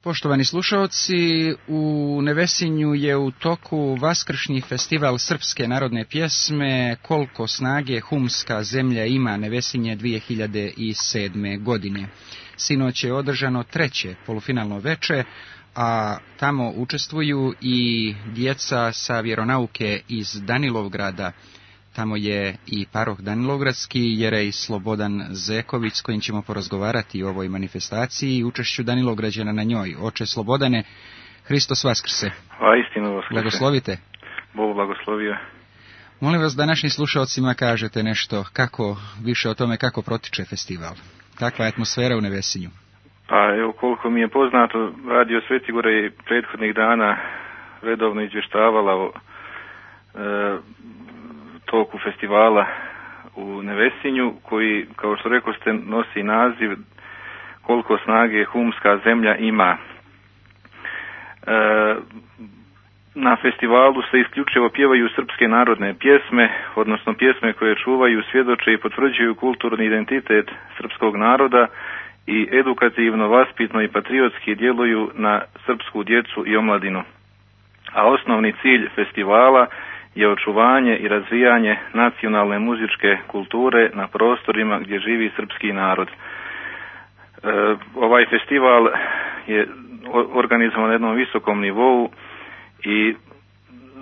Poštovani slušaoci, u Nevesinju je u toku vaskršnji festival srpske narodne pjesme Koliko snage humska zemlja ima, Nevesinje 2007. godine. Sinoć je održano treće polufinalno veče, a tamo učestvuju i djeca sa vjeronauke iz Danilovgrada. Tamo je i paroh Danilovgradski, Jerej Slobodan Zeković, s kojim ćemo porazgovarati o ovoj manifestaciji i učešću Danilovgrađana na njoj. Oče Slobodane, Hristos vaskrse. A istinu vaskrse. Blagoslovite. Bog blagoslovio. Molim vas da našim slušalcima kažete nešto više o tome kako protiče festival. Kakva je atmosfera u Nevesinju? Pa evo, koliko mi je poznato, Radio Sveti Gore je prethodnih dana redovno izvještavala o toku festivala u Nevesinju, koji, kao što rekao ste, nosi naziv Koliko snage humska zemlja ima. Na festivalu se isključivo pjevaju srpske narodne pjesme, odnosno pjesme koje čuvaju, svjedoče i potvrđuju kulturni identitet srpskog naroda i edukativno, vaspitno i patriotski djeluju na srpsku djecu i omladinu. A osnovni cilj festivala je očuvanje i razvijanje nacionalne muzičke kulture na prostorima gdje živi srpski narod. Ovaj festival je organizovan na jednom visokom nivou i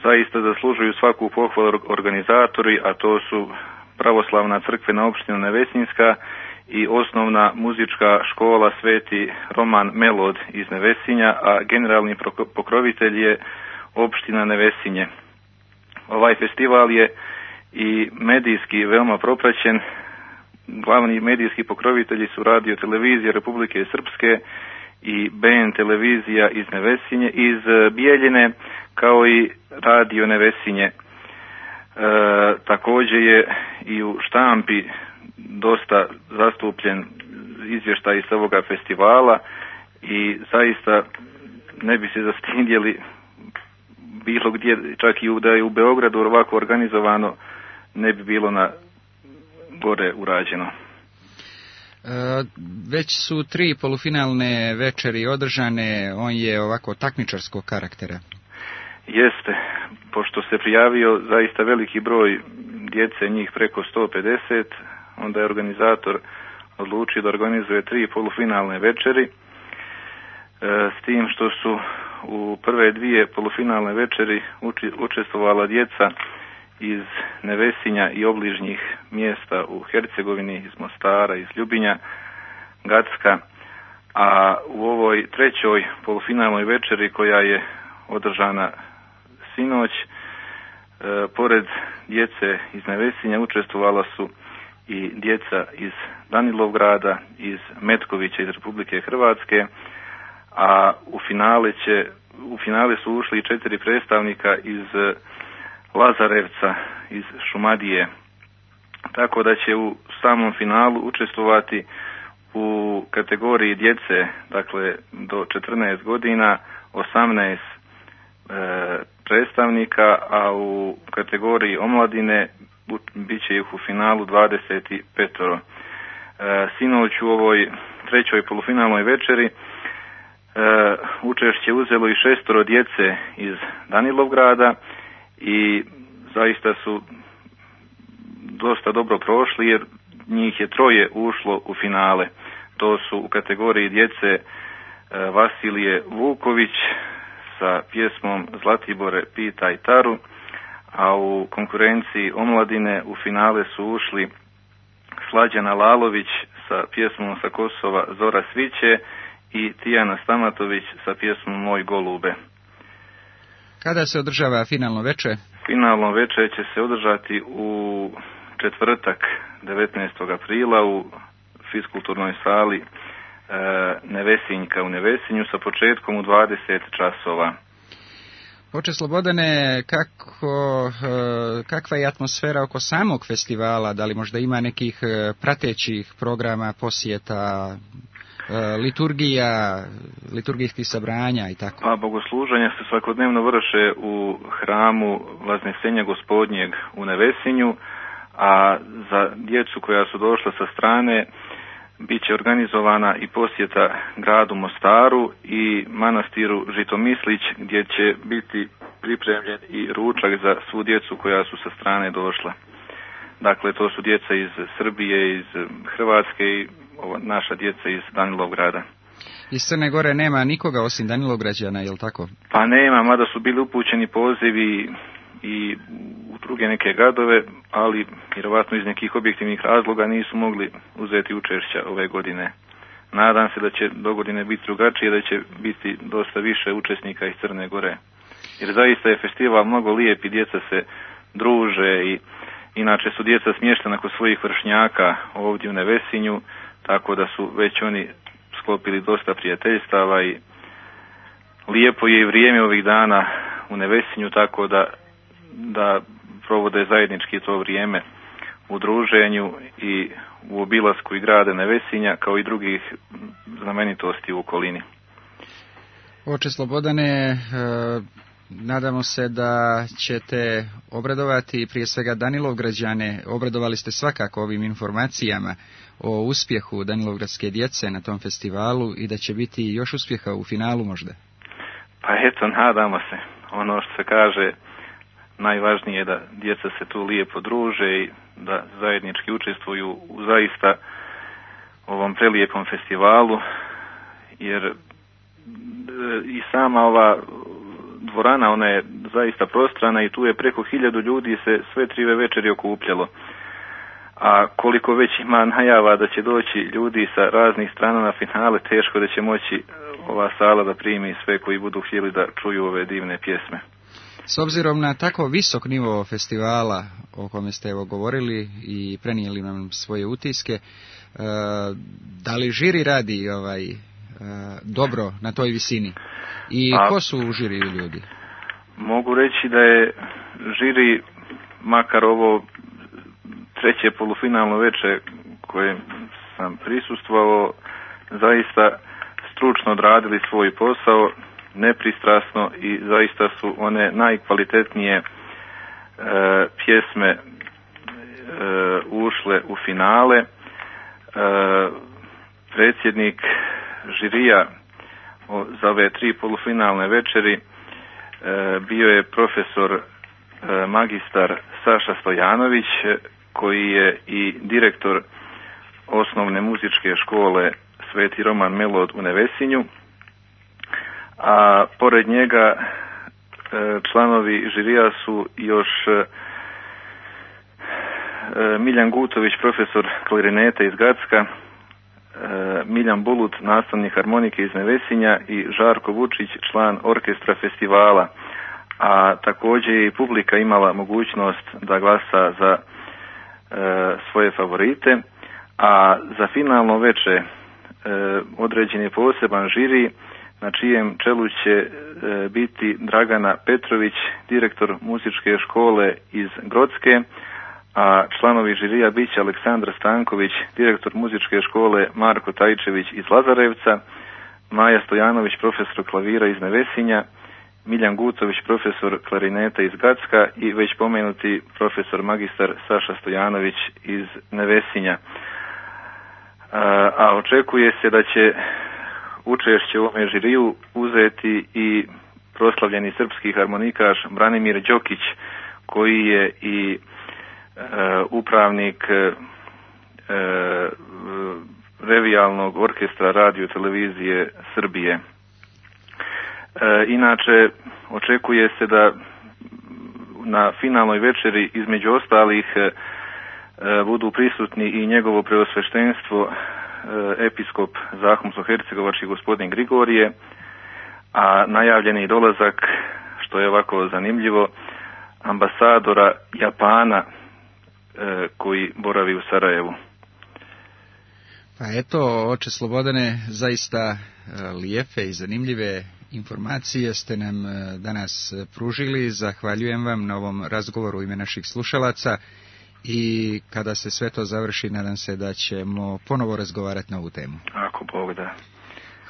zaista zaslužuju svaku pohvalu organizatori, a to su Pravoslavna crkvena opština Nevesinjska i osnovna muzička škola Sveti Roman Melod iz Nevesinja, a generalni pokrovitelj je opština Nevesinje. Ovaj festival je i medijski veoma propraćen. Glavni medijski pokrovitelji su Radio Televizija Republike Srpske i BN Televizija iz Nevesinje, iz Bijeljine, kao i Radio Nevesinje. Također je i u štampi dosta zastupljen izvještaj iz ovoga festivala i zaista ne bi se zastidjeli bilo gdje, čak i da je u Beogradu ovako organizovano, ne bi bilo na gore urađeno. Već su 3 polufinalne večeri održane, on je ovako takmičarskog karaktera. Jeste, pošto se prijavio zaista veliki broj djece, njih preko 150, onda je organizator odlučio da organizuje 3 polufinalne večeri, s tim što su u prve 2 polufinalne večeri učestvovala djeca iz Nevesinja i obližnjih mjesta u Hercegovini, iz Mostara, iz Ljubinja, Gacka, a u ovoj 3. polufinalnoj večeri koja je održana sinoć, pored djece iz Nevesinja učestvovala su i djeca iz Danilovgrada, iz Metkovića, iz Republike Hrvatske, a u finale su ušli 4 predstavnika iz Lazarevca, iz Šumadije. Tako da će u samom finalu učestvovati u kategoriji djece, dakle do 14 godina, 18 predstavnika, a u kategoriji omladine bit će ih u finalu 25. Sinoć u ovoj 3. polufinalnoj večeri učešće uzelo i 6 djece iz Danilovgrada i zaista su dosta dobro prošli, jer njih je 3 ušlo u finale. To su u kategoriji djece Vasilije Vuković sa pjesmom Zlatibore pitaj Taru, a u konkurenciji omladine u finale su ušli Slađana Lalović sa pjesmom sa Kosova Zora sviće i Tijana Stamatović sa pjesmom Moj golube. Kada se održava finalno veče? Finalno veče će se održati u četvrtak 19. aprila u fiskulturnoj sali Nevesinjka u Nevesinju sa početkom u 20 časova. Oče Slobodane, kakva je atmosfera oko samog festivala? Da li možda ima nekih pratećih programa, posjeta, liturgijskih sabranja i tako? Pa bogosluženja se svakodnevno vrše u hramu Vaznesenja Gospodnjeg u Nevesinju, a za djecu koja su došla sa strane Biće organizovana i posjeta gradu Mostaru i manastiru Žitomislić, gdje će biti pripremljen i ručak za svu djecu koja su sa strane došla. Dakle, to su djeca iz Srbije, iz Hrvatske i naša djeca iz Danilovgrada. Iz Crne Gore nema nikoga osim Danilovgrađana, je li tako? Pa nema, mada su bili upućeni pozivi i u druge neke gradove, ali vjerovatno iz nekih objektivnih razloga nisu mogli uzeti učešća ove godine. Nadam se da će do godine biti drugačije, da će biti dosta više učesnika iz Crne Gore. Jer zaista je festival mnogo lijep i djeca se druže i inače su djeca smještena kod svojih vršnjaka ovdje u Nevesinju, tako da su već oni sklopili dosta prijateljstava i lijepo je i vrijeme ovih dana u Nevesinju, tako da provode zajednički to vrijeme u druženju i u obilasku i grada Nevesinja kao i drugih znamenitosti u okolini. Oče Slobodane, nadamo se da ćete obradovati prije svega Danilovgrađane. Obradovali ste svakako ovim informacijama o uspjehu danilovgradske djece na tom festivalu i da će biti još uspjeha u finalu možda. Pa eto, nadamo se. Ono što se kaže, najvažnije je da djeca se tu lijepo druže i da zajednički učestvuju u zaista ovom prelijepom festivalu, jer i sama ova dvorana, ona je zaista prostrana i tu je preko 1000 ljudi se sve 3 večeri okupljalo. A koliko već ima najava da će doći ljudi sa raznih strana na finale, teško da će moći ova sala da primi sve koji budu htjeli da čuju ove divne pjesme. S obzirom na tako visok nivo festivala o kome ste evo govorili i prenijeli nam svoje utiske, da li žiri radi dobro na toj visini? I ko su u žiriju ljudi? Mogu reći da je žiri, makar ovo 3. polufinalno veče koje sam prisustvovao, zaista stručno odradili svoj posao, nepristrasno, i zaista su one najkvalitetnije pjesme ušle u finale. Predsjednik žirija za ove 3 polufinalne večeri bio je profesor magistar Saša Stojanović, koji je i direktor osnovne muzičke škole Sveti Roman Melod u Nevesinju, a pored njega članovi žirija su još Miljan Gutović, profesor klarineta iz Gacka, Miljan Bulut, nastavnik harmonike iz Nevesinja, i Žarko Vučić, član orkestra festivala. A također je i publika imala mogućnost da glasa za svoje favorite, a za finalno veče određen je poseban žiri na čijem čelu će biti Dragana Petrović, direktor muzičke škole iz Grocke, a članovi žirija bit će Aleksandar Stanković, direktor muzičke škole Marko Tajčević iz Lazarevca, Maja Stojanović, profesor klavira iz Nevesinja, Miljan Gutović, profesor klarineta iz Gacka i već pomenuti profesor magistar Saša Stojanović iz Nevesinja. A očekuje se da će učešće u ovome žiriju uzeti i proslavljeni srpski harmonikaš Branimir Đokić, koji je i upravnik revijalnog orkestra radio televizije Srbije. Inače, očekuje se da na finalnoj večeri između ostalih budu prisutni i njegovo preosveštenstvo episkop Zahumsko-hercegovački gospodin Grigorije, a najavljeni dolazak, što je ovako zanimljivo, ambasadora Japana koji boravi u Sarajevu. Pa eto, oče Slobodane, zaista lijepe i zanimljive informacije ste nam danas pružili. Zahvaljujem vam na ovom razgovoru u ime naših slušalaca i kada se sve to završi, nadam se da ćemo ponovo razgovarati na ovu temu. Ako Bog da.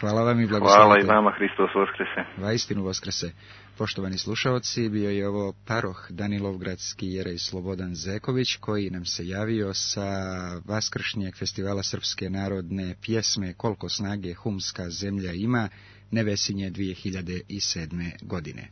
Hvala vam i blagoslovite. Hvala i vama, Hristos Voskrese. Vaistinu Voskrese. Poštovani slušaoci, bio je ovo paroh Danilovgradski jerej Slobodan Zeković, koji nam se javio sa Vaskršnjeg festivala srpske narodne pjesme Koliko snage humska zemlja ima, Nevesinje 2007. godine.